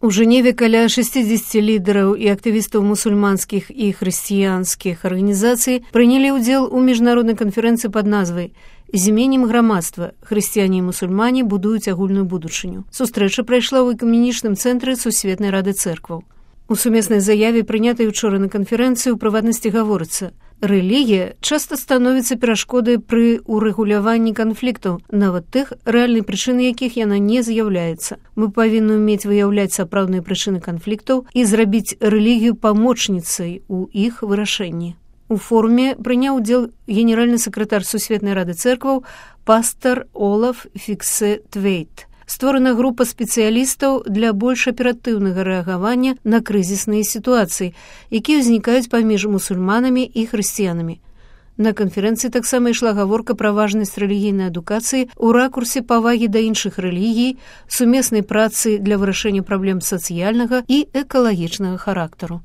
У Жэневе каля 60 лідараў і актывістаў мусульманскіх і хрысціянскіх арганізацый прынялі ўдзел у міжнароднай канферэнцыі пад назвай «Зменім грамадства. Хрысціяне і мусульмане будуюць агульную будучыню». Сустрэча прайшла ў экуменічным цэнтры Сусветнай рады цэркваў. У сумеснай заяве, прынятай учора на канферэнцыі, у прыватнасці гаворыцца: рэлігія часта становіцца перашкодай пры урэгуляванні канфліктаў, нават тых, рэальнай прычыны якіх яна не з'яўляецца. Мы павінны ўмець выяўляць сапраўдныя прычыны канфліктаў і зрабіць рэлігію памочніцай у іх вырашэнні. У форуме прыняў удзел генеральны сакратар Сусветнай рады цэркваў пастар Олаф Фіксе-Твейт. Створана група спецыялістаў для больш аператыўнага рэагавання на крызісныя сітуацыі, якія ўзнікаюць паміж мусульманамі і хрысціянамі. На канферэнцыі таксама ішла гаворка пра важнасць рэлігійнай адукацыі ў ракурсе павагі да іншых рэлігій, сумеснай працы для вырашэння праблем сацыяльнага і экалагічнага характару.